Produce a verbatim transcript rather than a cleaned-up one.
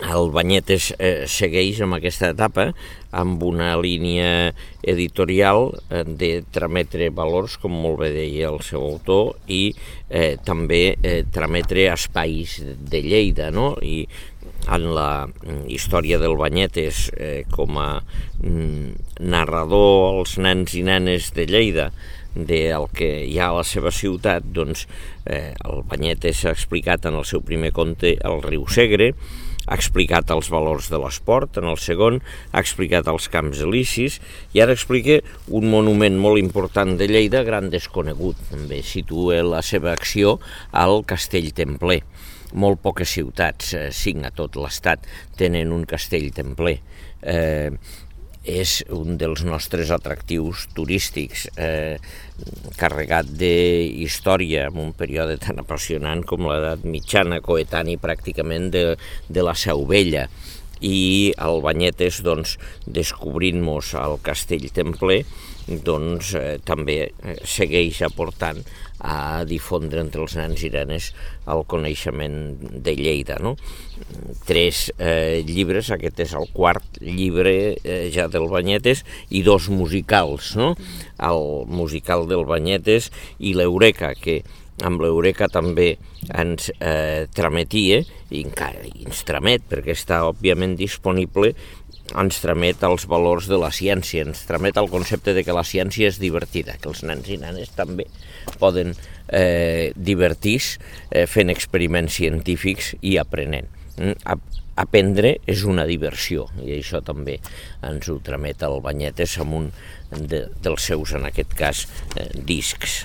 el Banyetes eh, segueix amb aquesta etapa amb una línia editorial eh, de trametre valors, com molt bé deia el seu autor, i eh, també eh, trametre espais de Lleida, no? I en la història del Banyetes eh, com a mm, narrador als nens i nenes de Lleida del que hi ha a la seva ciutat, doncs eh, el Banyetes ha explicat en el seu primer conte el riu Segre, ha explicat els valors de l'esport en el segon, ha explicat els camps elisis i ara explica un monument molt important de Lleida, gran desconegut, també situa la seva acció al Castell Templer. Molt poques ciutats, eh, cinc a tot l'estat, tenen un castell templer. Eh, és un dels nostres atractius turístics, eh, carregat d'història en un període tan apassionant com l'edat mitjana, coetani pràcticament de, de la Seu Vella. I el Banyetes, doncs, descobrint-nos al Castell Templer, doncs eh, també segueix aportant a difondre entre els nens i nenes el coneixement de Lleida, no? Tres eh, llibres, aquest és el quart llibre eh, ja del Banyetes, i dos musicals, no? El musical del Banyetes i l'Eureka, que amb l'Eureka també ens eh, trametia, i encara ens tramet, perquè està òbviament disponible, ens tramet els valors de la ciència, ens tramet el concepte de que la ciència és divertida, que els nens i nenes també poden eh, divertir-se eh, fent experiments científics i aprenent. Mm? Aprendre és una diversió, i això també ens ho tramet el Banyetes amb un de, dels seus, en aquest cas, eh, discs.